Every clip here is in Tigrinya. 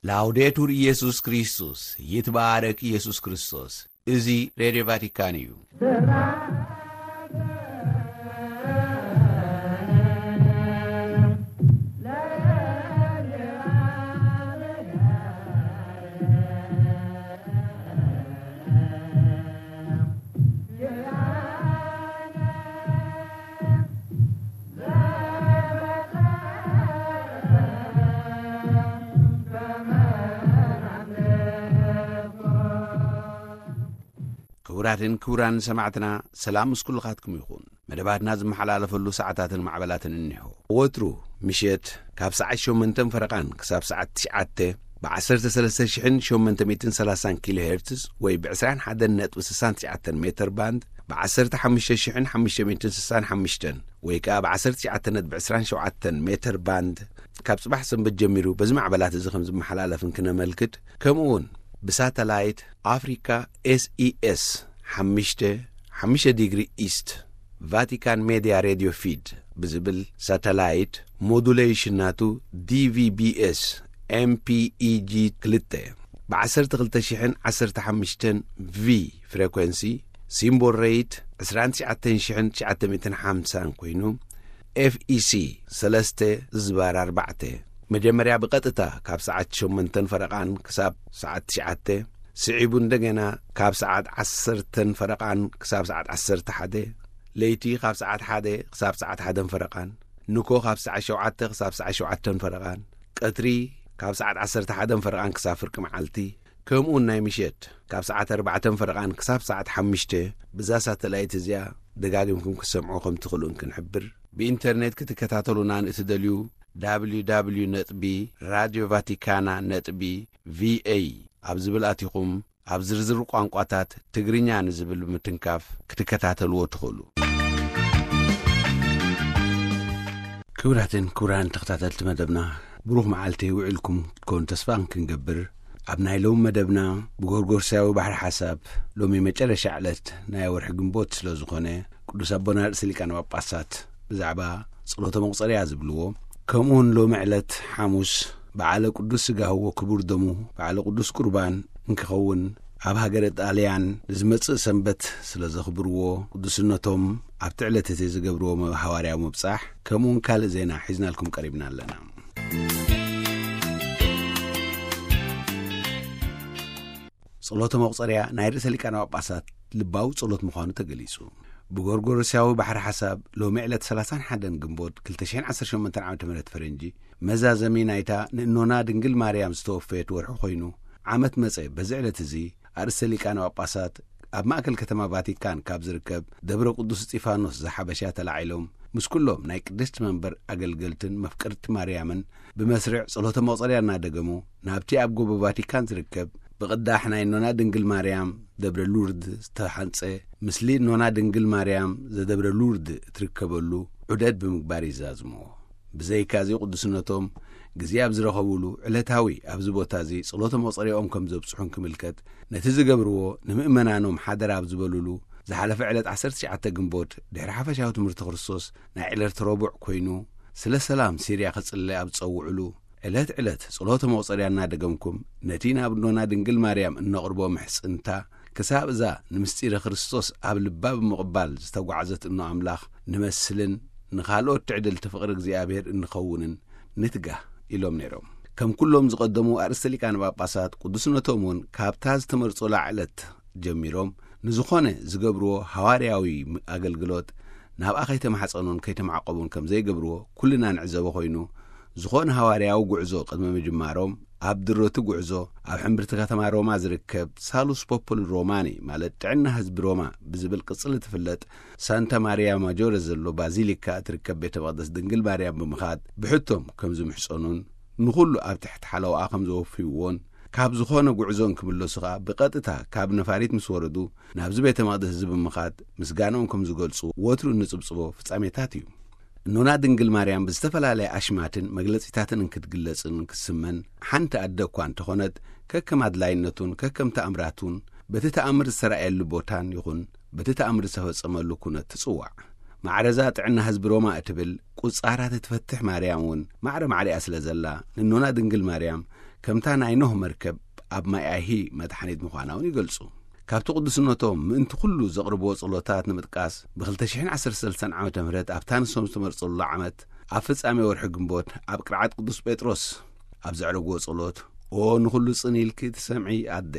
ላውዴቱር ኢየሱስ ክርስቶስ፣ ይትባረክ ኢየሱስ ክርስቶስ። እዚ ሬድዮ ቫቲካን እዩ። ክቡራትን ክቡራን ሰማዕትና፣ ሰላም ምስ ኩልኻትኩም ይኹን። መደባትና ዝመሓላለፈሉ ሰዓታትን ማዕበላትን እኒሆ። ወትሩ ምሸት ካብ ሰዓት ሸሞንተን ፈረቓን ክሳብ ሰዓት ትሽዓተ ብ ዓሰርተ ሰለስተ ሽሕን ሸሞንተ ሚእትን ሰላሳን ኪሎ ሄርትዝ ወይ ብ ዕስራን ሓደን ነጥቢ ስሳን ትሽዓተን ሜተር ባንድ፣ ብ ዓሰርተ ሓሙሽተ ሽሕን ሓሙሽተ ሚእትን ስሳን ሓሙሽተን ወይ ከኣ ብ ዓሰርተ ትሽዓተ ነጥቢ ዕስራን ሸውዓተን ሜተር ባንድ፣ ካብ ጽባሕ ሰንበት ጀሚሩ በዚ ማዕበላት እዚ ከም ዝመሓላለፍን ክነመልክት፣ ከምኡ እውን ብሳተላይት ኣፍሪካ ኤስኢኤስ ሓሙሽተ ሓሙሽተ ዲግሪ ኢስት ቫቲካን ሜድያ ሬድዮ ፊድ ብዝብል ሳተላይት ሞዱሌሽን ናቱ ዲቪቢኤስ ኤምፒኢጂ ክልተ ብ ዓሰርተ ክልተ ሽሕን ዓሰርተ ሓሙሽተን ቪ ፍሬኮንሲ፣ ሲምቦል ሬት ዕስራን ትሽዓተን ሽሕን ትሽዓተ ሚእትን ሓምሳን ኮይኑ፣ ኤፍኢሲ ሰለስተ ዝባር ኣርባዕተ፣ መጀመርያ ብቐጥታ ካብ ሰዓት ሸሞንተን ፈረቓን ክሳብ ሰዓት ትሽዓተ፣ ስዒቡ እንደገና ካብ ሰዓት ዓሰርተን ፈረቓን ክሳብ ሰዓት ዓሰርተ ሓደ፣ ለይቲ ካብ ሰዓት ሓደ ክሳብ ሰዓት ሓደን ፈረቓን፣ ንኮ ካብ ሰዓት ሸውዓተ ክሳብ ሰዓት ሸውዓተን ፈረቓን፣ ቀትሪ ካብ ሰዓት ዓሰርተ ሓደን ፈረቓን ክሳብ ፍርቂ መዓልቲ፣ ከምኡውን ናይ ምሸት ካብ ሰዓት ኣርባዕተን ፈረቓን ክሳብ ሰዓት ሓሙሽተ፣ ብዛ ሳተላይት እዚኣ ደጋጊምኩም ክትሰምዑ ከም ትኽእሉን ክንሕብር። ብኢንተርኔት ክትከታተሉና ንእትደልዩ፣ www ነጥቢ ራድዮ ቫቲካና ነጥቢ ቪኤ ኣብ ዝብል ኣቲኹም፣ ኣብ ዝርዝር ቋንቋታት ትግርኛ ንዝብል ብምትንካፍ ክትከታተልዎ ትኽእሉ። ክቡራትን ክቡራን ተኸታተልቲ መደብና፣ ብሩኽ መዓልቲ ውዒልኩም ክትኮኑ ተስፋ ክንገብር፣ ኣብ ናይ ሎሚ መደብና ብጎርጎርሳዊ ባሕሪ ሓሳብ ሎሚ መጨረሻ ዕለት ናይ ወርሒ ግንቦት ስለ ዝኾነ፣ ቅዱስ ኣቦና ርእሰ ሊቃነ ጳጳሳት ብዛዕባ ጸሎተ መቑጸርያ ዝብልዎ፣ ከምኡውን ሎሚ ዕለት ሓሙስ በዓለ ቅዱስ ስጋህዎ ክቡር ደሙ በዓለ ቅዱስ ቁርባን እንክኸውን፣ ኣብ ሃገረ ጣልያን ንዝመጽእ ሰንበት ስለ ዘኽብርዎ፣ ቅዱስነቶም ኣብቲ ዕለት እቲ ዝገብርዎ መ-፣ ሃዋርያዊ ምብጻሕ፣ ከምኡውን ካልእ ዜና ሒዝናልኩም ቀሪብና ኣለና። ጸሎተ መቑጸርያ ናይ ርእሰ ሊቃነ ጳጳሳት ልባዊ ጸሎት ምዃኑ ተገሊጹ። ብጎርጎሮስያዊ ባሕሪ ሓሳብ ሎሚ ዕለት ሰላሳን ሓደን ግንቦት ክልተ ሽሕን ዓሰርተ ሸሞንተን ዓመተ ምህረት ፈረንጂ፣ መዛዘሚ ናይታ ንእኖና ድንግል ማርያም ዝተወፈየት ወርሒ ኮይኑ፣ ዓመት መጸ በዚ ዕለት እዚ ኣርእስተ ሊቃነ ጳጳሳት ኣብ ማእከል ከተማ ቫቲካን ካብ ዝርከብ ደብረ ቅዱስ እስጢፋኖስ ዘሓበሻ ተላዒሎም፣ ምስ ኩሎም ናይ ቅድስቲ መንበር ኣገልገልትን መፍቀርቲ ማርያምን ብመስርዕ ጸሎተ መቑጸርያ እናደገሙ፣ ናብቲ ኣብ ጎቦ ቫቲካን ዝርከብ ብቕዳሕ ናይ እኖና ድንግል ማርያም ደብረ ሉርድ ዝተሓንጸ፣ ምስሊ እኖና ድንግል ማርያም ዘደብረ ሉርድ እትርከበሉ ዑደት ብምግባር ይዛዝምዎ። ብዘይካዚ ቅዱስነቶም ግዜ ኣብ ዝረኸቡሉ ዕለታዊ ኣብዚ ቦታ እዚ ጸሎተ መቑጸርያኦም ከም ዘብጽሑን ክምልከት፣ ነቲ ዝገብርዎ ንምእመናኖም ሓደራ ኣብ ዝበሉሉ ዝሓለፈ ዕለት ዓሰርተ ትሽዓተ ግንቦት ድሕሪ ሓፈሻዊ ትምህርቲ ክርስቶስ ናይ ዕለተ ረቡዕ ኮይኑ፣ ስለ ሰላም ሲርያ ክጽለ ኣብ ዝጸውዕሉ፣ ዕለት ዕለት ጸሎተ መቑጸርያ እናደገምኩም ነቲ ናብ እኖና ድንግል ማርያም እነቕርቦ ምሕጽንታ ክሳብ እዛ ንምስጢረ ክርስቶስ ኣብ ልባ ብምቕባል ዝተጓዕዘት እኖ ኣምላኽ ንመስልን ንኻልኦት ትዕድልቲ ፍቕሪ እግዚኣብሔር እንኸውንን ንትጋህ ኢሎም ነይሮም። ከም ኩሎም ዝቐደሙ ኣርእስተ ሊቃነ ጳጳሳት ቅዱስነቶም እውን ካብታ ዝተመርጹላ ዕለት ጀሚሮም ንዝኾነ ዝገብርዎ ሃዋርያዊ ኣገልግሎት ናብኣ ከይተማሕጸኑን ከይተማዕቆቡን ከም ዘይገብርዎ ኩልና ንዕዘቦ ኮይኑ፣ ዝኾነ ሃዋርያዊ ጉዕዞ ቅድሚ ምጅማሮም ኣብ ድሮቲ ጉዕዞ ኣብ ሕምብርቲ ከተማ ሮማ ዝርከብ ሳሉስ ፖፖል ሮማኒ ማለት ጥዕና ህዝቢ ሮማ ብዝብል ቅጽል እትፍለጥ ሳንታ ማርያ ማጆረ ዘሎ ባዚሊካ እትርከብ ቤተ መቕደስ ድንግል ማርያም ብምኻድ ብሕቶም ከም ዝምሕጸኑን ንኹሉ ኣብ ትሕቲ ሓለዋኣ ከም ዘወፍይዎን ካብ ዝኾነ ጉዕዞ እንክምለሱ ኸኣ ብቐጥታ ካብ ነፋሪት ምስ ወረዱ ናብዚ ቤተ መቕደስ እዚ ብምኻድ ምስጋንኦም ከም ዝገልጹ ወትሩ እንጽብጽቦ ፍጻሜታት እዩ። እኖና ድንግል ማርያም ብዝተፈላለየ ኣሽማትን መግለጺታትን እንክትግለጽን እንክትስመን ሓንቲ ኣደ እኳ እንተኾነት ከከም ኣድላይነቱን ከከም ተኣምራቱን በቲ ተኣምር ዝተራእየሉ ቦታን ይኹን በቲ ተኣምር ዝተፈጸመሉ ኩነት ትጽዋዕ። ማዕረዛ ጥዕና ህዝቢ ሮማ እትብል ቁጻራት እትፈትሕ ማርያም እውን ማዕረ ማዕሪኣ ስለ ዘላ ንእኖና ድንግል ማርያም ከምታ ናይ ኖህ መርከብ ኣብ ማይ ኣይሂ መድሓኒት ምዃና እውን ይገልጹ። ካብቲ ቅዱስነቶም ምእንቲ ኩሉ ዘቕርብዎ ጸሎታት ንምጥቃስ፣ ብ2013 ዓመተ ምህረት ኣብታ ንሶም ዝተመርጸሉ ዓመት ኣብ ፍጻሜ ወርሒ ግንቦት ኣብ ቅርዓት ቅዱስ ጴጥሮስ ኣብ ዘዕረግዎ ጸሎት፣ "ኦ ንኹሉ ጽን ኢልኪ ትሰምዒ ኣደ፣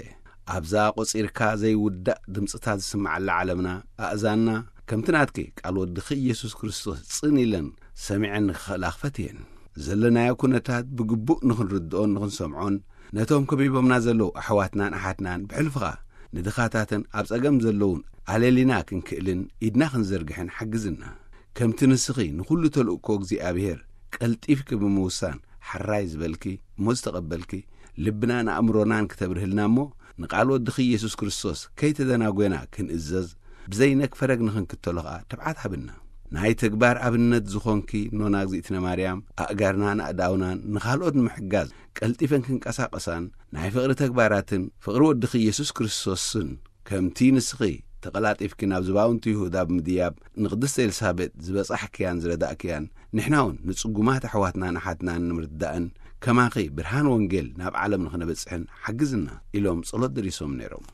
ኣብዛ ቆጺርካ ዘይውዳእ ድምጽታት ዝስምዓላ ዓለምና ኣእዛንና ከምቲ ናትኪ ቃል ወድኺ ኢየሱስ ክርስቶስ ጽን ኢለን ሰሚዐን ንኽኽእላ ክፈትየን። ዘለናዮ ኩነታት ብግቡእ ንኽንርድኦን ንኽንሰምዖን፣ ነቶም ከቢቦምና ዘለዉ ኣሕዋትናን ኣሓትናን ብሕልፍኻ ንድኻታትን ኣብ ጸገም ዘለዉን ኣለሊና ክንክእልን ኢድና ክንዘርግሕን ሓግዝና። ከምቲ ንስኺ ንኹሉ ተልእኮ እግዚኣብሔር ቀልጢፍኪ ብምውሳን ሓራይ ዝበልኪ እሞ ዝተቐበልኪ፣ ልብናን ኣእምሮናን ክተብርህልና እሞ፣ ንቓል ወድኺ ኢየሱስ ክርስቶስ ከይተደናጎና ክንእዘዝ፣ ብዘይነግፈረግ ንኽንክተሎ ኸኣ ትብዓት ሃብና። ናይ ተግባር ኣብነት ዝኾንኪ ኖና እግዚኣብነ ማርያም፣ ኣእጋርናን ኣእዳውናን ንኻልኦት ንምሕጋዝ ቀልጢፈን ክንቀሳቐሳን፣ ናይ ፍቕሪ ተግባራትን ፍቕሪ ወድኺ ኢየሱስ ክርስቶስን፣ ከምቲ ንስኺ ተቐላጢፍኪ ናብ ዝባውንቲ ይሁዳ ብምድያብ ንቅድስቲ ኤልሳቤጥ ዝበጻሕክያን ዝረዳእክያን፣ ንሕና እውን ንጽጉማት ኣሕዋትናን ኣሓትናን ንምርዳእን ከማኺ ብርሃን ወንጌል ናብ ዓለም ንኽነበጽሕን ሓግዝና" ኢሎም ጸሎት ደሪሶም ነይሮም።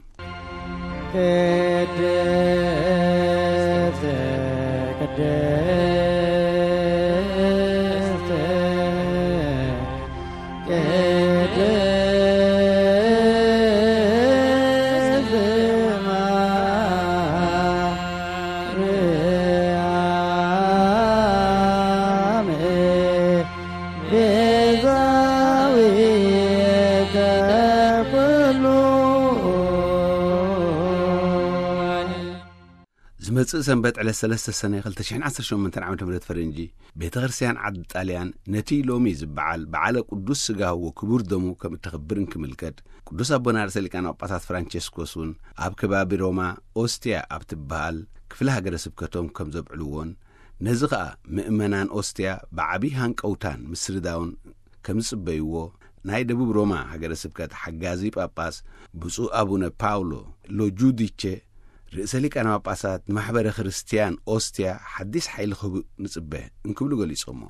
ቅድስት፣ ቅድስት፣ ቅድስት ማርያም ቤዛዊተ ኩሉ። ዝመጽእ ሰንበት ዕለት ሰለስተ ሰነ ክልተ ሽሕን ዓሰርተ ሸሞንተን ዓመተ ምህረት ፈረንጂ፣ ቤተ ክርስቲያን ዓዲ ጣልያን ነቲ ሎሚ ዝበዓል በዓለ ቅዱስ ስጋሁ ወክቡር ደሙ ከም እተኽብር እንክምልከት፣ ቅዱስ ኣቦና ርእሰ ሊቃነ ጳጳሳት ፍራንቸስኮስ እውን ኣብ ከባቢ ሮማ ኦስቲያ ኣብ ትበሃል ክፍለ ሃገረ ስብከቶም ከም ዘብዕልዎን፣ ነዚ ኸኣ ምእመናን ኦስቲያ ብዓቢ ሃንቀውታን ምስርዳውን ከም ዝጽበይዎ፣ ናይ ደቡብ ሮማ ሃገረ ስብከት ሓጋዚ ጳጳስ ብፁዕ ኣቡነ ፓውሎ ሎጁዲቸ፣ ርእሰ ሊቃነ ጳጳሳት ንማሕበረ ክርስትያን ኦስቲያ ሓዲስ ሓይሊ ክህቡ ንጽበ እንክብሉ ገሊጾሞ።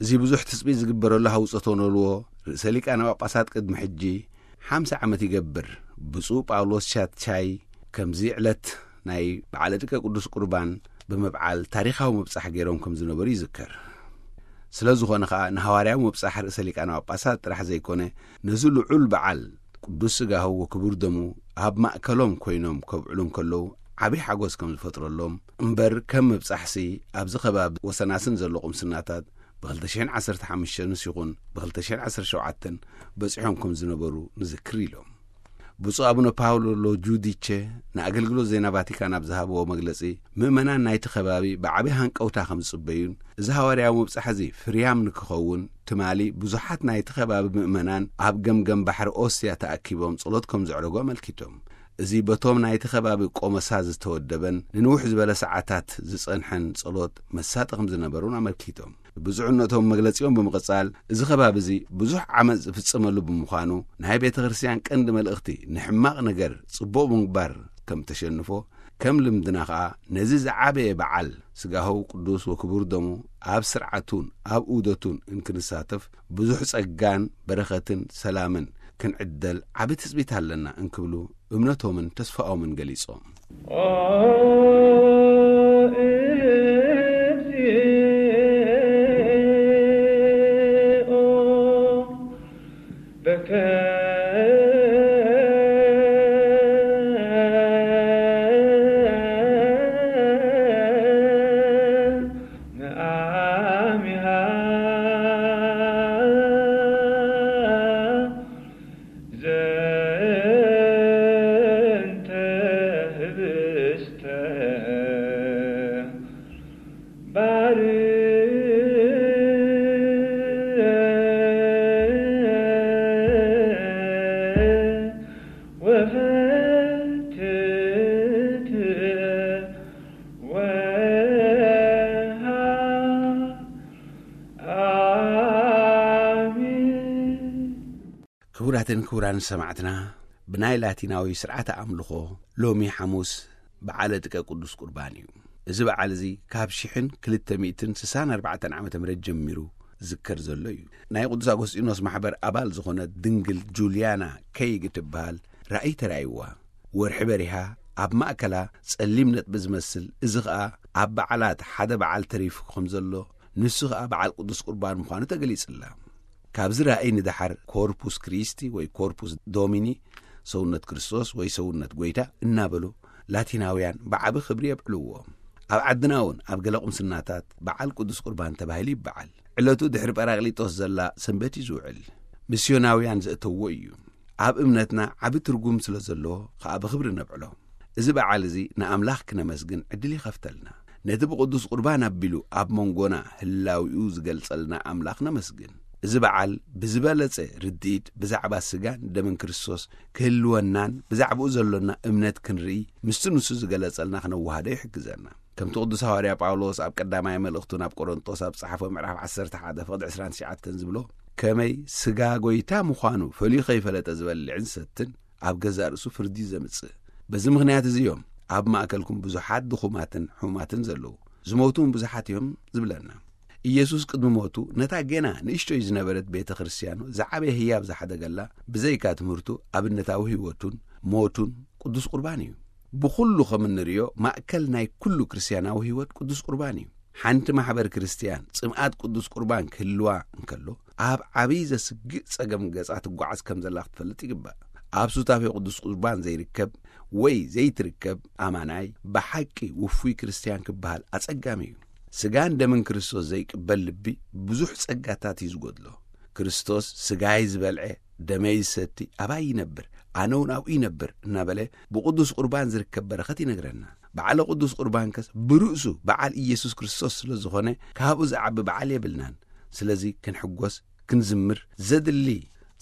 እዚ ብዙሕ ትጽቢት ዝግበረሉ ሃውጾት ሆኖልዎ፣ ርእሰ ሊቃነ ጳጳሳት ቅድሚ ሕጂ ሓምሳ ዓመት ይገብር፣ ብፁዕ ጳውሎስ ሻትቻይ ከምዚ ዕለት ናይ በዓለ ጥቀ ቅዱስ ቁርባን ብምብዓል ታሪኻዊ ምብጻሕ ገይሮም ከም ዝነበሩ ይዝከር። ስለ ዝኾነ ኸኣ ንሃዋርያዊ ምብጻሕ ርእሰ ሊቃነ ጳጳሳት ጥራሕ ዘይኮነ፣ ነዚ ልዑል በዓል ቅዱስ ስጋሁ ወክቡር ደሙ ኣብ ማእከሎም ኮይኖም ከብዕሉ እንከለዉ ዓቢ ሓጎስ ከም ዝፈጥረሎም እምበር፣ ከም ምብጻሕሲ ኣብዚ ከባቢ ወሰናስን ዘሎ ቁምስናታት ብ2015 ንስ ይኹን ብ2017 በጺሖም ከም ዝነበሩ ንዝክር ኢሎም። ብፁዕ ኣቡነ ፓውሎ ሎጁዲቸ ንኣገልግሎት ዜና ቫቲካን ኣብ ዝሃብዎ መግለጺ፣ ምእመናን ናይቲ ከባቢ ብዓቢ ሃንቀውታ ከም ዝጽበዩን፣ እዚ ሃዋርያዊ ምብጻሕ እዚ ፍርያም ንክኸውን፣ ትማሊ ብዙሓት ናይቲ ከባቢ ምእመናን ኣብ ገምገም ባሕሪ ኦስያ ተኣኪቦም ጸሎት ከም ዘዕረጉ ኣመልኪቶም። እዚ በቶም ናይቲ ከባቢ ቆመሳ ዝተወደበን ንንውሕ ዝበለ ሰዓታት ዝጸንሐን ጸሎት መሳጢ ከም ዝነበሩን ኣመልኪቶም። ብፁዕነቶም መግለጺኦም ብምቕጻል፣ እዚ ከባቢ እዚ ብዙሕ ዓመጽ ዝፍጸመሉ ብምዃኑ፣ ናይ ቤተ ክርስቲያን ቀንዲ መልእኽቲ ንሕማቕ ነገር ጽቡቕ ብምግባር ከም ተሸንፎ፣ ከም ልምድና ኸኣ ነዚ ዝዓበየ በዓል ስጋሁ ቅዱስ ወክቡር ደሙ ኣብ ስርዓቱን ኣብ ኡደቱን እንክንሳተፍ ብዙሕ ጸጋን በረኸትን ሰላምን ክንዕደል ዓቢ ትጽቢት ኣለና እንክብሉ እምነቶምን ተስፋኦምን ገሊጾም። ኦ እግዚኦ፣ በከ ነአሚሃ ዘንተ ህብስተ ባር ወፈትት ወሃ ኣሜን። ክቡራትን ክቡራን ሰማዕትና፣ ብናይ ላቲናዊ ስርዓተ ኣምልኾ ሎሚ ሓሙስ በዓለ ጥቀ ቅዱስ ቁርባን እዩ። እዚ በዓል እዚ ካብ ሽሕን ክልተ ሚእትን ስሳን ኣርባዕተን ዓመተ ምህረት ጀሚሩ ዝከር ዘሎ እዩ። ናይ ቅዱስ ኣጎስጢኖስ ማሕበር ኣባል ዝኾነት ድንግል ጁልያና ከይግ ትበሃል ራእይ ተራእይዋ። ወርሒ በሪሃ ኣብ ማእከላ ጸሊም ነጥቢ ዝመስል፣ እዚ ኸኣ ኣብ በዓላት ሓደ በዓል ተሪፉ ከም ዘሎ፣ ንሱ ኸኣ በዓል ቅዱስ ቁርባን ምዃኑ ተገሊጽላ። ካብዚ ራእይ ንደሓር ኮርፑስ ክሪስቲ ወይ ኮርፑስ ዶሚኒ፣ ሰውነት ክርስቶስ ወይ ሰውነት ጎይታ እናበሉ ላቲናውያን ብዓቢ ክብሪ የብዕልዎ። ኣብ ዓድና እውን ኣብ ገለ ቁምስናታት በዓል ቅዱስ ቁርባን ተባሂሉ ይበዓል። ዕለቱ ድሕሪ ጳራቅሊጦስ ዘላ ሰንበት እዩ ዝውዕል። ሚስዮናውያን ዘእተውዎ እዩ። ኣብ እምነትና ዓቢ ትርጉም ስለ ዘለዎ ከኣ ብኽብሪ ነብዕሎ። እዚ በዓል እዚ ንኣምላኽ ክነመስግን ዕድል ይኸፍተልና። ነቲ ብቅዱስ ቁርባን ኣቢሉ ኣብ መንጎና ህላዊኡ ዝገልጸልና ኣምላኽ ነመስግን። እዚ በዓል ብዝበለጸ ርድኢት ብዛዕባ ስጋን ደምን ክርስቶስ ክህልወናን ብዛዕባኡ ዘሎና እምነት ክንርኢ፣ ምስቲ ንሱ ዝገለጸልና ክነወሃዶ ይሕግዘና። ከምቲ ቅዱስ ሃዋርያ ጳውሎስ ኣብ ቀዳማይ መልእኽቱ ናብ ቆሮንጦስ ኣብ ጸሓፎ ምዕራፍ ዓሰርተ ሓደ ፍቕዲ ዕስራን ትሽዓተን ዝብሎ፣ ከመይ ስጋ ጎይታ ምዃኑ ፈልዩ ከይፈለጠ ዝበልዕን ዝሰትን ኣብ ገዛእ ርእሱ ፍርዲ ዘምጽእ። በዚ ምኽንያት እዚ እዮም ኣብ ማእከልኩም ብዙሓት ድኹማትን ሕሙማትን ዘለዉ፣ ዝሞቱ እውን ብዙሓት እዮም ዝብለና። ኢየሱስ ቅድሚ ሞቱ ነታ ገና ንእሽቶይ ዝነበረት ቤተ ክርስቲያኑ ዝዓበየ ህያብ ዝሓደገላ ብዘይካ ትምህርቱ ኣብነታዊ ህይወቱን ሞቱን ቅዱስ ቁርባን እዩ። ብኹሉ ከም እንርእዮ ማእከል ናይ ኩሉ ክርስትያናዊ ህይወት ቅዱስ ቁርባን እዩ። ሓንቲ ማሕበር ክርስትያን ጽምኣት ቅዱስ ቁርባን ክህልዋ እንከሎ ኣብ ዓብዪ ዘስግእ ጸገም ገጻ ትጓዓዝ ከም ዘላ ክትፈልጥ ይግባእ። ኣብ ሱታፌ ቅዱስ ቁርባን ዘይርከብ ወይ ዘይትርከብ ኣማናይ ብሓቂ ውፉይ ክርስትያን ክበሃል ኣጸጋሚ እዩ። ስጋን ደምን ክርስቶስ ዘይቅበል ልቢ ብዙሕ ጸጋታት እዩ ዝጎድሎ። ክርስቶስ ስጋይ ዝበልዐ ደመይ ዝሰቲ ኣባይ ይነብር፣ ኣነ እውን ኣብኡ ይነብር እናበለ ብቅዱስ ቁርባን ዝርከብ በረኸት ይነግረና። በዓለ ቅዱስ ቁርባን ከስ ብርእሱ በዓል ኢየሱስ ክርስቶስ ስለ ዝኾነ ካብኡ ዝዓቢ በዓል የብልናን። ስለዚ ክንሕጎስ፣ ክንዝምር ዘድሊ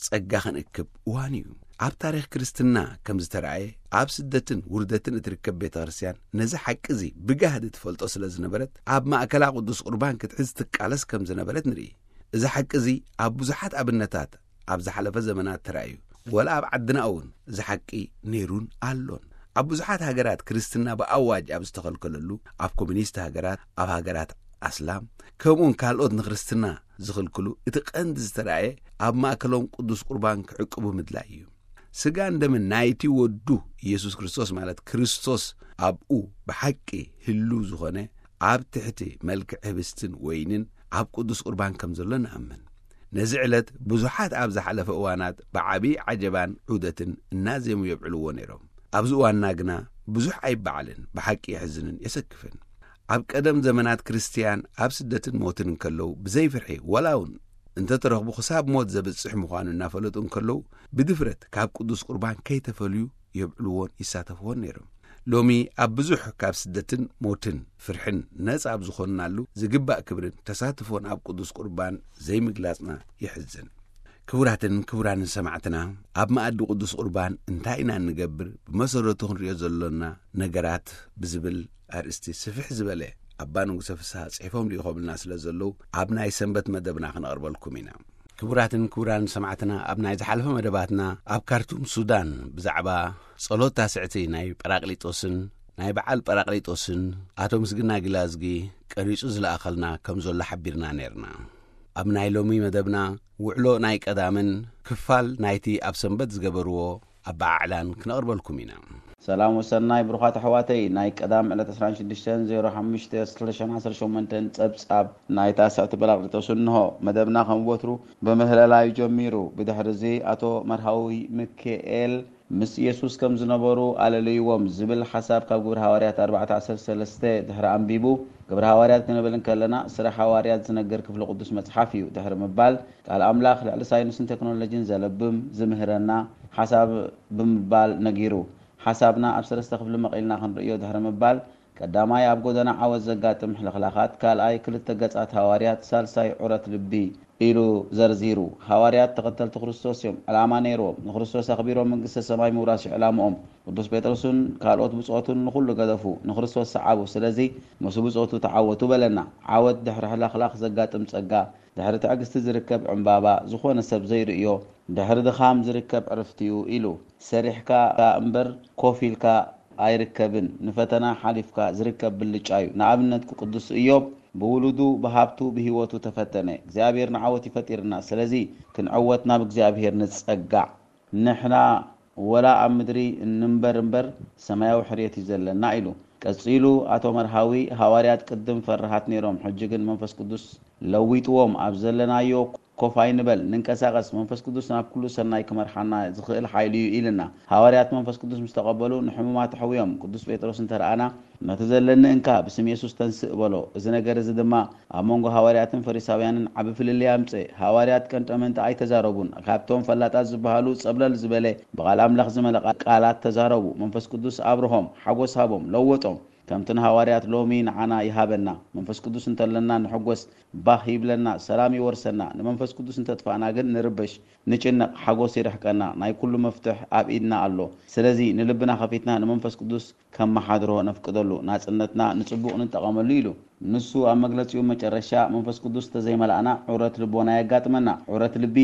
ጸጋ ክንእክብ እዋን እዩ። ኣብ ታሪኽ ክርስትና ከም ዝተራእየ ኣብ ስደትን ውርደትን እትርከብ ቤተ ክርስቲያን ነዚ ሓቂ እዚ ብጋህዲ ትፈልጦ ስለ ዝነበረት ኣብ ማእከላ ቅዱስ ቁርባን ክትሕዝ ትቃለስ ከም ዝነበረት ንርኢ። እዚ ሓቂ እዚ ኣብ ብዙሓት ኣብነታት ኣብ ዝሓለፈ ዘመናት ተራእዩ፣ ወላ ኣብ ዓድና እውን እዚ ሓቂ ነይሩን ኣሎን። ኣብ ብዙሓት ሃገራት ክርስትና ብኣዋጅ ኣብ ዝተኸልከለሉ፣ ኣብ ኮሚኒስት ሃገራት፣ ኣብ ሃገራት ኣስላም፣ ከምኡውን ካልኦት ንክርስትና ዝኽልክሉ፣ እቲ ቀንዲ ዝተራእየ ኣብ ማእከሎም ቅዱስ ቁርባን ክዕቅቡ ምድላይ እዩ። ስጋን ደምን ናይቲ ወዱ ኢየሱስ ክርስቶስ፣ ማለት ክርስቶስ ኣብኡ ብሓቂ ህሉ ዝኾነ፣ ኣብ ትሕቲ መልክዕ ህብስትን ወይንን ኣብ ቅዱስ ቁርባን ከም ዘሎ ንኣምን። ነዚ ዕለት ብዙሓት ኣብ ዝሓለፈ እዋናት ብዓቢ ዓጀባን ዑደትን እናዜሙ የብዕልዎ ነይሮም። ኣብዚ እዋንና ግና ብዙሕ ኣይበዓልን፣ ብሓቂ የሕዝንን የሰክፍን። ኣብ ቀደም ዘመናት ክርስትያን ኣብ ስደትን ሞትን እንከለዉ ብዘይፍርሒ፣ ወላ እውን እንተተረኽቡ ክሳብ ሞት ዘብጽሕ ምዃኑ እናፈለጡ እንከለዉ ብድፍረት ካብ ቅዱስ ቁርባን ከይተፈልዩ የብዕልዎን ይሳተፍዎን ነይሮም። ሎሚ ኣብ ብዙሕ ካብ ስደትን ሞትን ፍርሕን ነጻ ኣብ ዝኾንናሉ ዝግባእ ክብርን ተሳትፎን ኣብ ቅዱስ ቁርባን ዘይምግላጽና የሕዝን። ክቡራትን ክቡራንን ሰማዕትና፣ ኣብ መኣዲ ቅዱስ ቁርባን እንታይ ኢና እንገብር፣ ብመሰረቱ ክንሪኦ ዘሎና ነገራት ብዝብል ኣርእስቲ ስፍሕ ዝበለ ኣባ ንጉሰ ፍስሃ ጽሒፎም ልኢኾምልና ስለ ዘለዉ ኣብ ናይ ሰንበት መደብና ክነቕርበልኩም ኢና። ክቡራትን ክቡራን ሰማዕትና፣ ኣብ ናይ ዝሓለፈ መደባትና ኣብ ካርቱም ሱዳን ብዛዕባ ጸሎት ታስዕቲ ናይ ጳራቅሊጦስን ናይ በዓል ጳራቅሊጦስን ኣቶ ምስግና ግላዝጊ ቀሪጹ ዝለኣኸልና ከም ዘሎ ሓቢርና ነይርና። ኣብ ናይ ሎሚ መደብና ውዕሎ ናይ ቀዳምን ክፋል ናይቲ ኣብ ሰንበት ዝገበርዎ ኣበዓዕላን ክነቕርበልኩም ኢና። ሰላም ወሰናይ ብሩኻት ኣሕዋተይ፣ ናይ ቀዳም ዕለት ዕስራን ሽዱሽተን ዜሮ ሓሙሽተ ክልተ ሽሕን ዓሰርተ ሸሞንተን ጸብጻብ ናይ ታስዕቲ ጳራቅሊጦስ እንሆ። መደብና ከም ወትሩ ብምህለላ እዩ ጀሚሩ። ብድሕሪ እዚ ኣቶ መርሃዊ ምክኤል ምስ ኢየሱስ ከም ዝነበሩ ኣለለይዎም ዝብል ሓሳብ ካብ ግብሪ ሃዋርያት ኣርባዕተ ዓሰርተ ሰለስተ ድሕሪ ኣንቢቡ፣ ግብሪ ሃዋርያት ክንብል እንከለና ስራሕ ሃዋርያት ዝነግር ክፍሊ ቅዱስ መጽሓፍ እዩ ድሕሪ ምባል፣ ቃል ኣምላኽ ልዕሊ ሳይንስን ቴክኖሎጂን ዘለብም ዝምህረና ሓሳብ ብምባል ነጊሩ። ሓሳብና ኣብ ሰለስተ ክፍሊ መቒልና ክንርእዮ ድሕሪ ምባል፣ ቀዳማይ ኣብ ጎደና ዓወት ዘጋጥም ሕልኽላኻት፣ ካልኣይ ክልተ ገጻት ሃዋርያት፣ ሳልሳይ ዑረት ልቢ ኢሉ ዘርዚሩ። ሃዋርያት ተኸተልቲ ክርስቶስ እዮም። ዕላማ ነይርዎም። ንክርስቶስ ኣኽቢሮም መንግስተ ሰማይ ምውራስ እዩ ዕላምኦም። ቅዱስ ጴጥሮስን ካልኦት ብጾቱን ንኹሉ ገደፉ፣ ንክርስቶስ ሰዓቡ። ስለዚ ምስ ብጾቱ ተዓወቱ በለና። ዓወት ድሕሪ ሕልኽላኽ ዘጋጥም ጸጋ፣ ድሕሪ ትዕግስቲ ዝርከብ ዕምባባ፣ ዝኾነ ሰብ ዘይርእዮ፣ ድሕሪ ድኻም ዝርከብ ዕርፍቲ እዩ ኢሉ። ሰሪሕካ እምበር ኮፍ ኢልካ ኣይርከብን። ንፈተና ሓሊፍካ ዝርከብ ብልጫ እዩ። ንኣብነት ቅዱስ ኢዮብ ብውሉዱ፣ ብሃብቱ፣ ብህይወቱ ተፈተነ። እግዚኣብሔር ንዓወት ይፈጢርና። ስለዚ ክንዕወት ናብ እግዚኣብሔር ንጸጋዕ። ንሕና ወላ ኣብ ምድሪ እንንበር እምበር ሰማያዊ ሕርየት እዩ ዘለና ኢሉ። ቀጺሉ ኣቶ መርሃዊ፣ ሃዋርያት ቅድም ፈራሃት ነይሮም፣ ሕጂ ግን መንፈስ ቅዱስ ለዊጥዎም፣ ኣብ ዘለናዮ ኮፍ ኣይንበል፣ ንንቀሳቐስ፣ መንፈስ ቅዱስ ናብ ኩሉ ሰናይ ክመርሓና ዝኽእል ሓይሊ እዩ ኢልና። ሃዋርያት መንፈስ ቅዱስ ምስ ተቐበሉ ንሕሙማት ኣሕውዮም። ቅዱስ ጴጥሮስ እንተረኣና፣ ነቲ ዘለኒ እንካ፣ ብስም የሱስ ተንስእ በሎ። እዚ ነገር እዚ ድማ ኣብ መንጎ ሃዋርያትን ፈሪሳውያንን ዓቢ ፍልልይ ኣምጽእ። ሃዋርያት ቀንጠመንጢ ኣይተዛረቡን። ካብቶም ፈላጣት ዝበሃሉ ጸብለል ዝበለ ብቓል ኣምላኽ ዝመለ ቃላት ተዛረቡ። መንፈስ ቅዱስ ኣብርሆም፣ ሓጎስ ሃቦም፣ ለወጦም። ከምቲ ንሃዋርያት ሎሚ ንዓና ይሃበና። መንፈስ ቅዱስ እንተለና ንሕጎስ፣ ባህ ይብለና፣ ሰላም ይወርሰና። ንመንፈስ ቅዱስ እንተጥፋእና ግን ንርበሽ፣ ንጭነቕ፣ ሓጎስ ይርሕቀና። ናይ ኩሉ መፍትሕ ኣብ ኢድና ኣሎ። ስለዚ ንልብና ከፊትና ንመንፈስ ቅዱስ ከመሓድሮ ነፍቅደሉ፣ ናጽነትና ንጽቡቕ ንጠቐመሉ ኢሉ። ንሱ ኣብ መግለጺኡ መጨረሻ መንፈስ ቅዱስ እንተዘይመላእና ዑረት ልቦና የጋጥመና። ዑረት ልቢ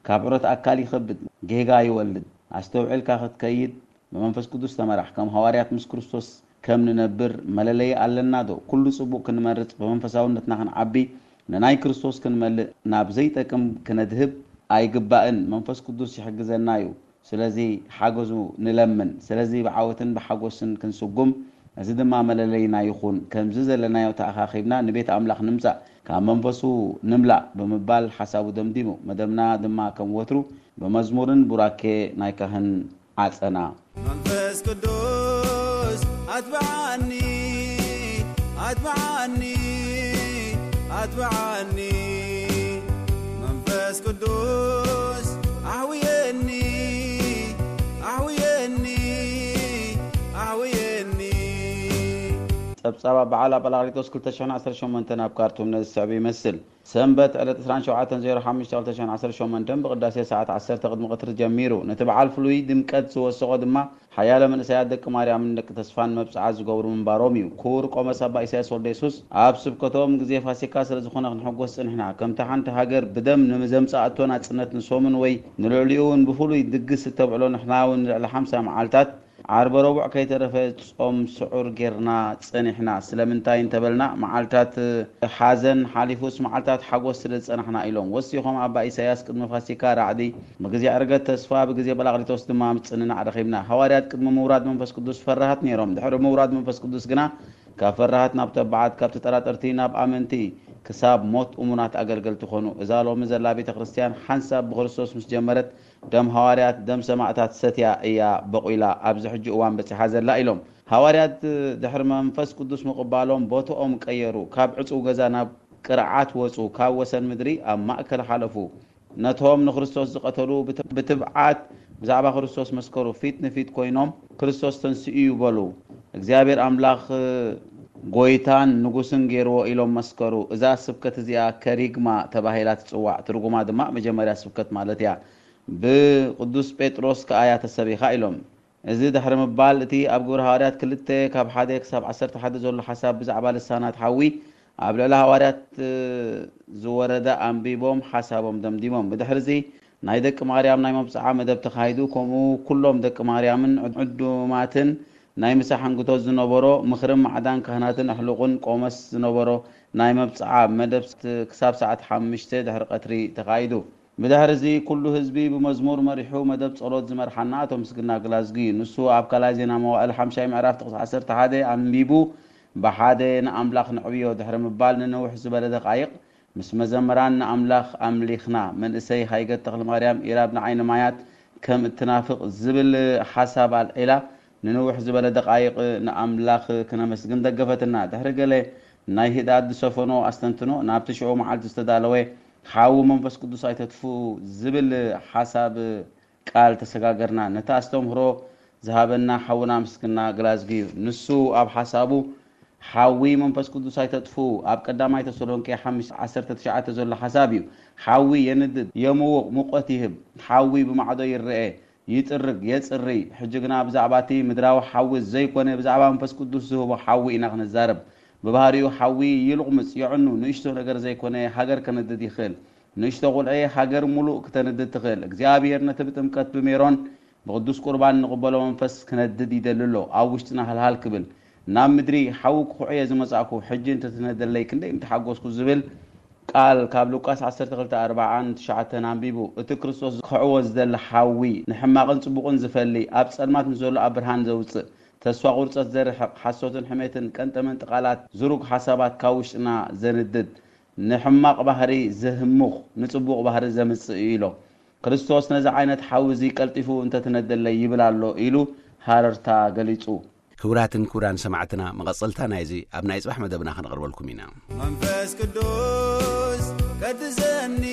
ካብ ዑረት ኣካል ይኸብድ፣ ጌጋ ይወልድ። ኣስተውዒልካ ክትከይድ ብመንፈስ ቅዱስ ተመራሕ። ከም ሃዋርያት ምስ ክርስቶስ ከም ንነብር መለለዪ ኣለና ዶ? ኩሉ ጽቡቕ ክንመርጽ፣ ብመንፈሳውነትና ክንዓቢ፣ ንናይ ክርስቶስ ክንመልእ፣ ናብ ዘይጠቅም ክነድህብ ኣይግባእን። መንፈስ ቅዱስ ይሕግዘና እዩ። ስለዚ ሓገዙ ንለምን። ስለዚ ብዓወትን ብሓጎስን ክንስጉም፣ እዚ ድማ መለለይና ይኹን። ከምዚ ዘለናዮ ተኣኻኺብና ንቤት ኣምላኽ ንምጻእ፣ ካብ መንፈሱ ንምላእ ብምባል ሓሳቡ ደምዲሙ። መደብና ድማ ከም ወትሩ ብመዝሙርን ቡራኬ ናይ ካህን ዓጸና። መንፈስ ቅዱስ ኣትብዓኒ፣ ኣትብዓኒ፣ ኣትብዓኒ። መንፈስ ቅዱስ ኣሕውየኒ፣ ኣሕውየኒ፣ ኣሕውየኒ። ጸብጻብ በዓል ጳራቅሊጦስ ክልተ ሽሕን ዓሰርተ ሸሞንተን ኣብ ካርቱም ነዚ ዝስዕብ ይመስል። ሰንበት ዕለት ዕስራን ሸውዓተን ዜሮ ሓሙሽተ ክልተ ሽሕን ዓሰርተ ሸሞንተን ብቅዳሴ ሰዓት ዓሰርተ ቅድሚ ቀትሪ ጀሚሩ። ነቲ በዓል ፍሉይ ድምቀት ዝወሰኾ ድማ ሓያለ መንእሰያት ደቂ ማርያምን ደቂ ተስፋን መብጽዓ ዝገብሩ ምንባሮም እዩ። ክቡር ቆመስ ኣባ ኢሳያስ ወልደ የሱስ ኣብ ስብከቶም፣ ግዜ ፋሲካ ስለ ዝኾነ ክንሕጎስ ጽኒሕና። ከምቲ ሓንቲ ሃገር ብደም ንዘምጽኣቶ ናጽነት ንሶምን ወይ ንልዕሊኡ እውን ብፍሉይ ድግስ እተብዕሎ፣ ንሕና እውን ልዕሊ ሓምሳ መዓልታት ዓርበ ረቡዕ ከይተረፈ ጾም ስዑር ጌርና ጸኒሕና። ስለምንታይ እንተበልና፣ መዓልታት ሓዘን ሓሊፉስ መዓልታት ሓጎስ ስለ ዝጸናሕና ኢሎም ወሲኾም። ኣባ ኢሳያስ ቅድሚ ፋሲካ ራዕዲ፣ ብግዜ ዕርገት ተስፋ፣ ብግዜ ጳራቅሊጦስ ድማ ምጽንናዕ ረኺብና። ሃዋርያት ቅድሚ ምውራድ መንፈስ ቅዱስ ፈራሃት ነይሮም። ድሕሪ ምውራድ መንፈስ ቅዱስ ግና ካብ ፈራሃት ናብ ተባዓት፣ ካብ ተጠራጠርቲ ናብ ኣመንቲ፣ ክሳብ ሞት እሙናት ኣገልገልቲ ኮኑ። እዛ ሎሚ ዘላ ቤተ ክርስቲያን ሓንሳብ ብክርስቶስ ምስ ጀመረት፣ ደም ሃዋርያት፣ ደም ሰማእታት ሰትያ እያ በቑላ ኣብዚ ሕጂ እዋን በጺሓ ዘላ ኢሎም። ሃዋርያት ድሕሪ መንፈስ ቅዱስ ምቕባሎም ቦትኦም ቀየሩ። ካብ ዕጹው ገዛ ናብ ቅርዓት ወጹ፣ ካብ ወሰን ምድሪ ኣብ ማእከል ሓለፉ። ነቶም ንክርስቶስ ዝቐተሉ ብት-፣ ብትብዓት ብዛዕባ ክርስቶስ መስከሩ። ፊት ንፊት ኮይኖም፣ "ክርስቶስ ተንሲኡ እዩ" በሉ። "እግዚኣብሔር ኣምላኽ ጎይታን ንጉስን ገይርዎ" ኢሎም መስከሩ። እዛ ስብከት እዚኣ ከሪግማ ተባሂላ ትጽዋዕ። ትርጉማ ድማ መጀመርያ ስብከት ማለት እያ። ብቅዱስ ጴጥሮስ ከኣ እያ ተሰቢኻ ኢሎም። እዚ ድሕሪ ምባል፣ እቲ ኣብ ግብረ ሃዋርያት ክልተ ካብ ሓደ ክሳብ ዓሰርተ ሓደ ዘሎ ሓሳብ ብዛዕባ ልሳናት ሓዊ ኣብ ልዕሊ ሃዋርያት ዝወረደ ኣንቢቦም ሓሳቦም ደምዲሞም። ብድሕርዚ ናይ ደቂ ማርያም ናይ መብጽዓ መደብ ተኻይዱ፣ ከምኡ ኩሎም ደቂ ማርያምን ዕዱማትን ናይ ምሳሕ ሕንግቶት ዝነበሮ ምኽርን ማዕዳን ካህናትን ኣሕሉቕን ቆመስ ዝነበሮ ናይ መብጽዓ መደብ ክሳብ ሰዓት ሓሙሽተ ድሕሪ ቀትሪ ተኻይዱ። ብድሕርዚ ኩሉ ህዝቢ ብመዝሙር መሪሑ መደብ ጸሎት ዝመርሓና ኣቶ ምስግና ግላዝጊ እዩ። ንሱ ኣብ ካልኣይ ዜና መዋእል ሓምሻይ ምዕራፍ ጥቕሲ ዓሰርተ ሓደ ኣንቢቡ፣ ብሓደ ንኣምላኽ ነዕብዮ ድሕሪ ምባል፣ ንንውሕ ዝበለ ደቓይቕ ምስ መዘምራን ንኣምላኽ ኣምሊኽና። መንእሰይ ሃይገት ተኽለማርያም ኢራብ ንዓይኒ ማያት ከም እትናፍቕ ዝብል ሓሳብ ኣልዒላ፣ ንንውሕ ዝበለ ደቓይቕ ንኣምላኽ ክነመስግን ደገፈትና። ድሕሪ ገለ ናይ ህድኣት ዝሰፈኖ ኣስተንትኖ፣ ናብቲ ሽዑ መዓልቲ ዝተዳለወ ሓዊ መንፈስ ቅዱስ ኣይተጥፍኡ ዝብል ሓሳብ ቃል ተሰጋገርና። ነቲ ኣስተምህሮ ዝሃበና ሓውና ምስግና ግላዝጊ እዩ። ንሱ ኣብ ሓሳቡ፣ "ሓዊ መንፈስ ቅዱስ ኣይተጥፍኡ" ኣብ ቀዳማይ ተሰሎንቄ ሓሙሽተ ዓሰርተ ትሽዓተ ዘሎ ሓሳብ እዩ። ሓዊ የንድድ፣ የምውቕ፣ ሙቐት ይህብ። ሓዊ ብማዕዶ ይረኤ፣ ይጥርግ፣ የጽሪ። ሕጂ ግና ብዛዕባ እቲ ምድራዊ ሓዊ ዘይኮነ፣ ብዛዕባ መንፈስ ቅዱስ ዝህቦ ሓዊ ኢና ክንዛረብ። ብባህሪኡ ሓዊ ይልቑምጽ፣ የዕኑ፣ ንእሽቶ ነገር ዘይኮነ ሃገር ከንድድ ይኽእል። ንእሽቶ ቁልዒ ሃገር ሙሉእ ክተንድድ ትኽእል። እግዚኣብሔር ነቲ ብጥምቀት ብሜሮን ብቅዱስ ቁርባን ንቕበሎ መንፈስ ክነድድ ይደሊ ኣሎ። ኣብ ውሽጥና ሃልሃል ክብል፣ ናብ ምድሪ ሓዊ ክኹዕየ ዝመጻእኩ፣ ሕጂ እንተትነደለይ ክንደይ ምተሓጎስኩ ዝብል ቃል ካብ ሉቃስ ዓሰርተ ክልተ ኣርብዓን ትሽዓተን ኣንቢቡ። እቲ ክርስቶስ ክኽዕዎ ዝደሊ ሓዊ፣ ንሕማቕን ጽቡቕን ዝፈሊ፣ ኣብ ጸልማት ንዘሎ ኣብ ብርሃን ዘውጽእ፣ ተስፋ ቁርጸት ዘርሕቕ፣ ሓሶትን ሕሜትን ቀንጠመንጢ ቃላት፣ ዝሩግ ሓሳባት ካብ ውሽጥና ዘንድድ፣ ንሕማቕ ባህሪ ዘህሙኽ፣ ንጽቡቕ ባህሪ ዘምጽእ እዩ ኢሎም። ክርስቶስ ነዚ ዓይነት ሓዊ እዚ ቀልጢፉ እንተትነደለይ ይብል ኣሎ ኢሉ ሃረርታ ገሊጹ። ክቡራትን ክቡራን ሰማዕትና፣ መቐጸልታ ናይዚ ኣብ ናይ ጽባሕ መደብና ከነቕርበልኩም ኢና። መንፈስ ቅዱስ ቀድሰኒ፣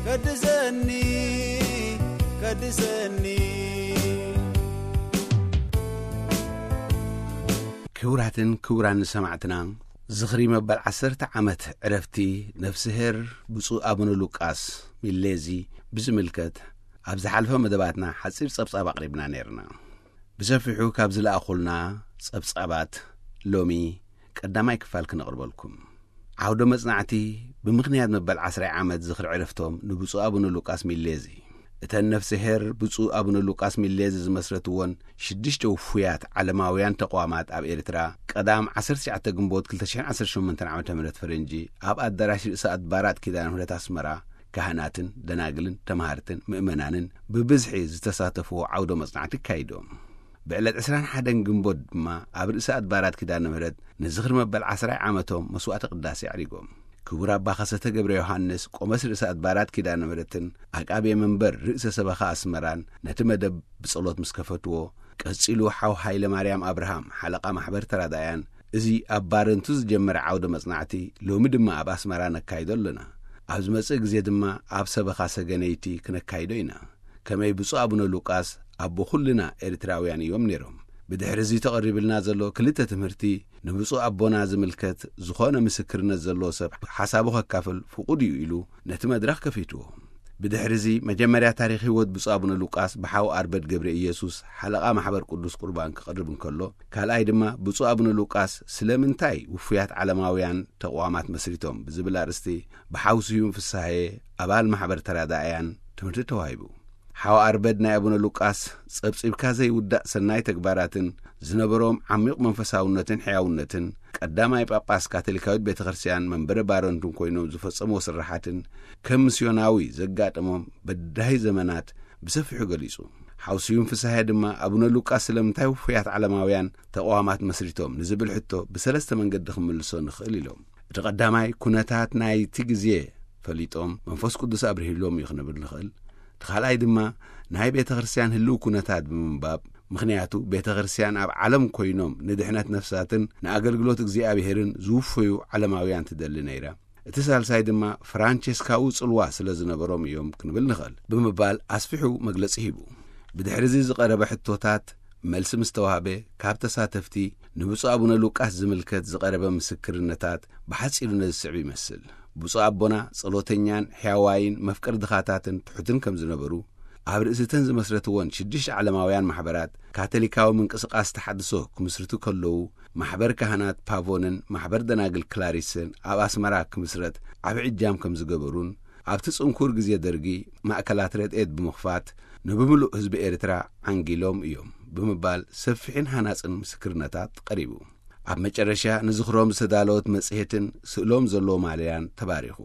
ቀድሰኒ፣ ቀድሰኒ። ክቡራትን ክቡራን ሰማዕትና፣ ዝኽሪ መበል ዓሰርተ ዓመት ዕረፍቲ ነፍስሄር ብፁዕ ኣቡነ ሉቃስ ሚሌዚ ብዝምልከት ኣብ ዝሓለፈ መደባትና ሓጺር ጸብጻብ ኣቕሪብና ነይርና። ብሰፊሑ ካብ ዝለኣኹልና ጸብጻባት ሎሚ ቀዳማይ ክፋል ክነቕርበልኩም። ዓውደ መጽናዕቲ ብምኽንያት መበል ዓስራይ ዓመት ዝኽሪ ዕረፍቶም ንብፁዕ ኣቡነ ሉቃስ ሚሌዚ፣ እተን ነፍስሄር ብፁዕ ኣቡነ ሉቃስ ሚሌዚ ዝመስረትዎን ሽዱሽተ ውፉያት ዓለማውያን ተቋማት ኣብ ኤርትራ፣ ቀዳም ዓሰርተ ትሽዓተ ግንቦት ክልተ ሽሕን ዓሰርተ ሸሞንተን ዓመተ ምህረት ፈረንጂ ኣብ ኣዳራሽ ርእሰ ኣድባራት ኪዳነ ምህረት ኣስመራ፣ ካህናትን ደናግልን ተማሃርትን ምእመናንን ብብዝሒ ዝተሳተፍዎ ዓውደ መጽናዕቲ ኣካይዶም። ብዕለት ዕስራን ሓደን ግንቦት ድማ ኣብ ርእሰ ኣድባራት ኪዳነ ምህረት ንዝኽሪ መበል ዓስራይ ዓመቶም መስዋዕተ ቅዳሴ ኣዕሪጎም። ክቡር ኣባ ከሰተ ገብረ ዮሃንስ፣ ቆመስ ርእሰ ኣድባራት ኪዳነ ምህረትን ዓቃቤ መንበር ርእሰ ሰበኻ ኣስመራን ነቲ መደብ ብጸሎት ምስ ከፈትዎ፣ ቀጺሉ ሓው ሃይለ ማርያም ኣብርሃም፣ ሓለቓ ማሕበር ተራዳእያን፣ እዚ ኣብ ባረንቱ ዝጀመረ ዓውደ መጽናዕቲ ሎሚ ድማ ኣብ ኣስመራ ነካይዶ ኣለና። ኣብ ዝመጽእ ግዜ ድማ ኣብ ሰበኻ ሰገነይቲ ክነካይዶ ኢና። ከመይ ብፁዕ ኣቡነ ሉቃስ ኣቦ ኩልና ኤርትራውያን እዮም ነይሮም። ብድሕሪ እዚ ተቐሪብልና ዘሎ ክልተ ትምህርቲ ንብፁዕ ኣቦና ዝምልከት ዝኾነ ምስክርነት ዘለዎ ሰብ ሓሳቡ ከካፍል ፍቑድ እዩ ኢሉ ነቲ መድረኽ ከፊትዎ። ብድሕሪ እዚ መጀመርያ ታሪኽ ህይወት ብፁዕ ኣቡነ ሉቃስ ብሓው ኣርበድ ገብረ ኢየሱስ ሓለቓ ማሕበር ቅዱስ ቁርባን ክቐርብ እንከሎ፣ ካልኣይ ድማ ብፁዕ ኣቡነ ሉቃስ ስለምንታይ ውፉያት ዓለማውያን ተቋማት መስሪቶም ብዝብል ኣርእስቲ ብሓው ስዩም ፍስሃየ ኣባል ማሕበር ተራዳእያን ትምህርቲ ተዋሂቡ። ሓው ኣርበድ ናይ ኣቡነ ሉቃስ ጸብጺብካ ዘይውዳእ ሰናይ ተግባራትን ዝነበሮም ዓሚቕ መንፈሳውነትን ሕያውነትን፣ ቀዳማይ ጳጳስ ካቶሊካዊት ቤተ ክርስቲያን መንበረ ባረንቱን ኮይኖም ዝፈጸምዎ ስራሓትን ከም ምስዮናዊ ዘጋጠሞም በዳሂ ዘመናት ብሰፊሑ ገሊጹ። ሓው ስዩም ፍስሃየ ድማ ኣቡነ ሉቃስ ስለምንታይ ውፉያት ዓለማውያን ተቋማት መስሪቶም ንዝብል ሕቶ ብሰለስተ መንገዲ ክምልሶ ንኽእል ኢሎም። እቲ ቀዳማይ ኩነታት ናይቲ ግዜ ፈሊጦም መንፈስ ቅዱስ ኣብርሂሎም እዩ ክንብል ንኽእል። እቲ ካልኣይ ድማ ናይ ቤተ ክርስቲያን ህልው ኩነታት ብምንባብ፣ ምኽንያቱ ቤተ ክርስቲያን ኣብ ዓለም ኮይኖም ንድሕነት ነፍሳትን ንኣገልግሎት እግዚኣብሔርን ዝውፈዩ ዓለማውያን ትደሊ ነይራ። እቲ ሳልሳይ ድማ ፍራንቸስካዊ ጽልዋ ስለ ዝነበሮም እዮም ክንብል ንኽእል ብምባል ኣስፊሑ መግለጺ ሂቡ። ብድሕሪ እዚ ዝቐረበ ሕቶታት መልሲ ምስ ተዋህበ፣ ካብ ተሳተፍቲ ንብፁዕ ኣቡነ ሉቃስ ዝምልከት ዝቐረበ ምስክርነታት ብሓጺሩ ነዚ ዝስዕብ ይመስል። ብፁዕ ኣቦና ጸሎተኛን ሕያዋይን መፍቀሪ ድኻታትን ትሑትን ከም ዝነበሩ፣ ኣብ ርእሲ እተን ዝመስረትዎን ሽዱሽተ ዓለማውያን ማሕበራት ካቶሊካዊ ምንቅስቓስ ተሓድሶ ክምስርቱ ከለዉ፣ ማሕበር ካህናት ፓቮንን ማሕበር ደናግል ክላሪስን ኣብ ኣስመራ ክምስረት ዓቢ ዕጃም ከም ዝገበሩን፣ ኣብቲ ጽንኩር ግዜ ደርጊ ማእከላት ረድኤት ብምኽፋት ንብምሉእ ህዝቢ ኤርትራ ዓንጊሎም እዮም ብምባል ሰፊሕን ሃናጽን ምስክርነታት ቀሪቡ። ኣብ መጨረሻ ንዝኽሮም ዝተዳለወት መጽሔትን ስእሎም ዘለዎ ማልያን ተባሪኹ።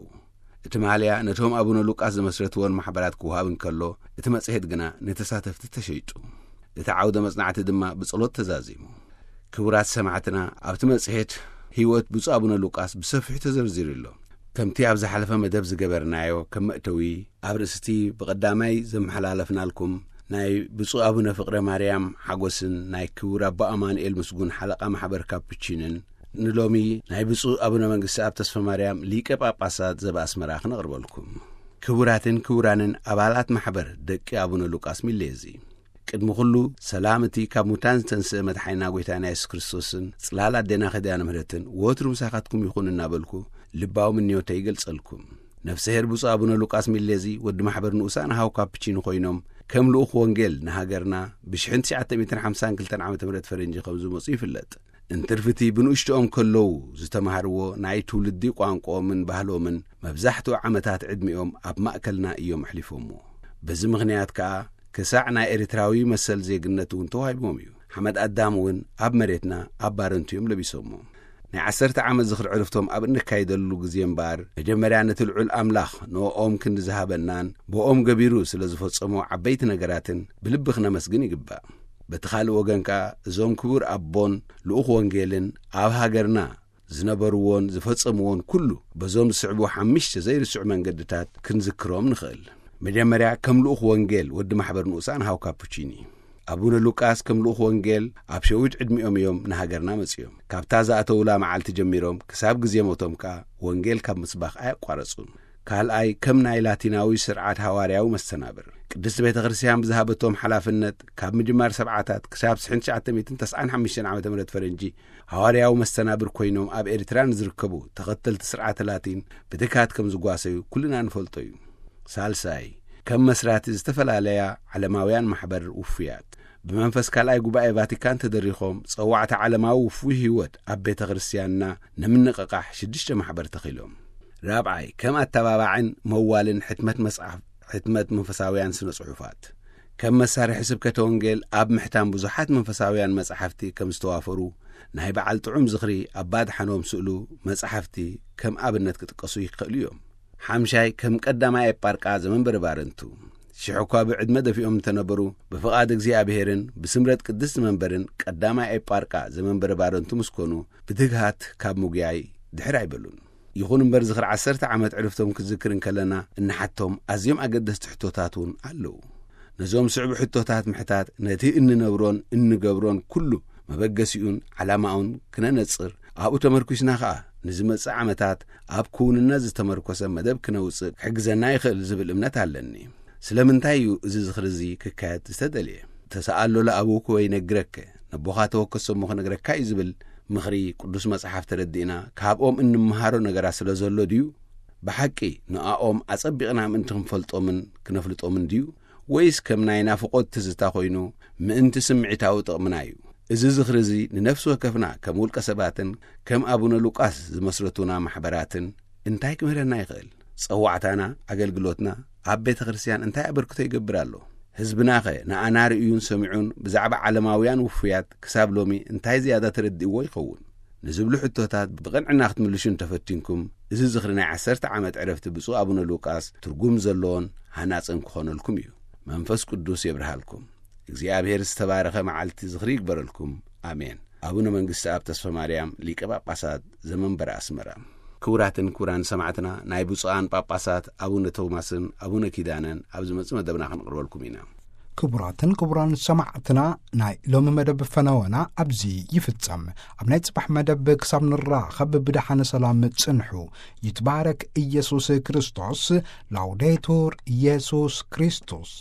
እቲ ማልያ ነቶም ኣቡነ ሉቃስ ዝመስረትዎን ማሕበራት ክወሃብ እንከሎ፣ እቲ መጽሔት ግና ንተሳተፍቲ ተሸይጡ። እቲ ዓውደ መጽናዕቲ ድማ ብጸሎት ተዛዚሙ። ክቡራት ሰማዕትና፣ ኣብቲ መጽሔት ህይወት ብፁዕ ኣቡነ ሉቃስ ብሰፊሑ ተዘርዚሩ ኣሎ። ከምቲ ኣብ ዝሓለፈ መደብ ዝገበርናዮ፣ ከም መእተዊ ኣብ ርእስቲ ብቐዳማይ ዘመሓላለፍናልኩም ናይ ብፁዕ ኣቡነ ፍቕረ ማርያም ሓጎስን ናይ ክቡር ኣቦ ኣማኑኤል ምስጉን ሓለቓ ማሕበር ካፑቺንን፣ ንሎሚ ናይ ብፁዕ ኣቡነ መንግስቲ ኣብ ተስፋ ማርያም ሊቀ ጳጳሳት ዘበኣስመራ ክነቕርበልኩም። ክቡራትን ክቡራንን ኣባላት ማሕበር ደቂ ኣቡነ ሉቃስ ሚሌዚ፣ ቅድሚ ኩሉ ሰላም እቲ ካብ ሙታን ዝተንስአ መድሓኒና ጎይታና የሱስ ክርስቶስን ጽላል ኣዴና ኪዳነ ምህረትን ወትሩ ምሳኻትኩም ይኹን እናበልኩ ልባዊ ምንዮተይ ይገልጸልኩም። ነፍሰ ሄር ብፁዕ ኣቡነ ሉቃስ ሚሌዚ ወዲ ማሕበር ንኡሳን ኣሃው ካፕቺኖ ኮይኖም ከም ልኡኽ ወንጌል ንሃገርና ብሽሕን ትሽዓተ ሚእትን ሓምሳን ክልተን ዓመተ ምህረት ፈረንጂ ከም ዝመጹ ይፍለጥ። እንትርፍቲ ብንኡሽትኦም ከለዉ ዝተማሃርዎ ናይ ትውልዲ ቋንቋኦምን ባህሎምን መብዛሕትኡ ዓመታት ዕድሚኦም ኣብ ማእከልና እዮም ኣሕሊፎምዎ። በዚ ምኽንያት ከኣ ክሳዕ ናይ ኤርትራዊ መሰል ዜግነት እውን ተዋሂብዎም እዩ። ሓመድ ኣዳም እውን ኣብ መሬትና ኣብ ባረንቱ እዮም ለቢሶሞ። ናይ ዓሰርተ ዓመት ዝኽሪ ዕርፍቶም ኣብ እነካይደሉ ግዜ እምበኣር፣ መጀመርያ ነቲ ልዑል ኣምላኽ ንኦም ክንዲ ዝሃበናን ብኦም ገቢሩ ስለ ዝፈጸሞ ዓበይቲ ነገራትን ብልቢ ክነመስግን ይግባእ። በቲ ካልእ ወገን ከኣ፣ እዞም ክቡር ኣቦን ልኡኽ ወንጌልን ኣብ ሃገርና ዝነበርዎን ዝፈጸምዎን ኩሉ በዞም ዝስዕቡ ሓሙሽተ ዘይርስዑ መንገድታት ክንዝክሮም ንኽእል። መጀመርያ፣ ከም ልኡኽ ወንጌል ወዲ ማሕበር ንኡሳን ሃው ካፑቺኒ። ኣቡነ ሉቃስ ከም ልኡኽ ወንጌል ኣብ ሸዊት ዕድሚኦም እዮም ንሃገርና መጺኦም። ካብታ ዝኣተውላ መዓልቲ ጀሚሮም ክሳብ ግዜ ሞቶም ከኣ ወንጌል ካብ ምስባኽ ኣየቋረጹን። ካልኣይ፣ ከም ናይ ላቲናዊ ስርዓት ሃዋርያዊ መስተናብር፣ ቅድስቲ ቤተ ክርስቲያን ብዝሃበቶም ሓላፍነት ካብ ምጅማር ሰብዓታት ክሳብ ሽሕን ትሽዓተ ሚእትን ተስዓን ሓሙሽተን ዓመተ ምህረት ፈረንጂ ሃዋርያዊ መስተናብር ኮይኖም ኣብ ኤርትራ ንዝርከቡ ተኸተልቲ ስርዓተ ላቲን ብትግሃት ከም ዝጓሰዩ ኩልና ንፈልጦ እዩ። ሳልሳይ፣ ከም መስራቲ ዝተፈላለያ ዓለማውያን ማሕበር ውፉያት፣ ብመንፈስ ካልኣይ ጉባኤ ቫቲካን ተደሪኾም ጸዋዕታ ዓለማዊ ውፉይ ህይወት ኣብ ቤተ ክርስቲያንና ንምንቕቓሕ ሽዱሽተ ማሕበር ተኺሎም። ራብዓይ፣ ከም ኣተባባዕን መዋልን ሕትመት መጽሓፍ፣ ሕትመት መንፈሳውያን ስነ ጽሑፋት፣ ከም መሳርሒ ስብከተ ወንጌል ኣብ ምሕታም ብዙሓት መንፈሳውያን መጻሕፍቲ ከም ዝተዋፈሩ ናይ በዓል ጥዑም ዝኽሪ ኣባ ኣድሓኖም ስእሉ መጻሕፍቲ ከም ኣብነት ክጥቀሱ ይኽእሉ እዮም። ሓምሻይ፣ ከም ቀዳማይ ኤጳርቃ ዘመንበረ ባረንቱ። ሽሕ እኳ ብዕድመ ደፊኦም እንተነበሩ፣ ብፍቓድ እግዚኣብሔርን ብስምረት ቅድስቲ መንበርን ቀዳማይ ኤጳርቃ ዘመንበረ ባረንቱ ምስ ኮኑ፣ ብትግሃት ካብ ምጉያይ ድሕር ኣይበሉን። ይኹን እምበር፣ ዝኽሪ ዓሰርተ ዓመት ዕርፍቶም ክዝክር እንከለና እንሓቶም ኣዝዮም ኣገደስቲ ሕቶታት እውን ኣለዉ። ነዞም ስዕቡ ሕቶታት ምሕታት፣ ነቲ እንነብሮን እንገብሮን ኩሉ መበገሲኡን ዓላማኡን ክነነጽር፣ ኣብኡ ተመርኲስና ኸኣ ንዝመጽእ ዓመታት ኣብ ክውንነት ዝተመርኮሰ መደብ ክነውጽእ ክሕግዘና ይኽእል ዝብል እምነት ኣለኒ። ስለምንታይ እዩ እዚ ዝኽሪ እዚ ክካየድ ዝተደልየ? ተሰኣሎ ለኣቡከ ወይ ነግረከ፣ ነቦኻ ተወከሶ እሞ ክነግረካ እዩ ዝብል ምኽሪ ቅዱስ መጽሓፍ ተረዲእና፣ ካብኦም እንመሃሮ ነገራት ስለ ዘሎ ድዩ? ብሓቂ ንኣኦም ኣጸቢቕና ምእንቲ ክንፈልጦምን ክነፍልጦምን ድዩ? ወይስ ከም ናይ ናፍቖት ትዝታ ኮይኑ ምእንቲ ስምዒታዊ ጥቕምና እዩ? እዚ ዝኽሪ እዚ ንነፍሲ ወከፍና ከም ውልቀ ሰባትን ከም ኣቡነ ሉቃስ ዝመስረቱና ማሕበራትን እንታይ ክምህረና ይኽእል? ጸዋዕታና፣ ኣገልግሎትና ኣብ ቤተ ክርስቲያን እንታይ ኣበርክቶ ይገብር ኣሎ? ህዝብናኸ ንኣና ርእዩን ሰሚዑን ብዛዕባ ዓለማውያን ውፉያት ክሳብ ሎሚ እንታይ ዝያዳ ተረዲእዎ ይኸውን? ንዝብሉ ሕቶታት ብቕንዕና ክትምልሹ እንተፈቲንኩም፣ እዚ ዝኽሪ ናይ ዓሰርተ ዓመት ዕረፍቲ ብፁዕ ኣቡነ ሉቃስ ትርጉም ዘለዎን ሃናጽን ክኾነልኩም እዩ። መንፈስ ቅዱስ የብርሃልኩም። እግዚኣብሔር ዝተባረኸ መዓልቲ ዝኽሪ ይግበረልኩም። ኣሜን። ኣቡነ መንግስቲ ኣብ ተስፋ ማርያም ሊቀ ጳጳሳት ዘመንበረ ኣስመራ። ክቡራትን ክቡራን ሰማዕትና፣ ናይ ብፁዓን ጳጳሳት ኣቡነ ቶማስን ኣቡነ ኪዳነን ኣብ ዝመጽእ መደብና ክንቕርበልኩም ኢና። ክቡራትን ክቡራን ሰማዕትና፣ ናይ ሎሚ መደብ ፈነወና ኣብዚ ይፍጸም። ኣብ ናይ ጽባሕ መደብ ክሳብ ንራኸብ ብደሓነ ሰላም ጽንሑ። ይትባረክ ኢየሱስ ክርስቶስ። ላውዴቱር ኢየሱስ ክርስቶስ።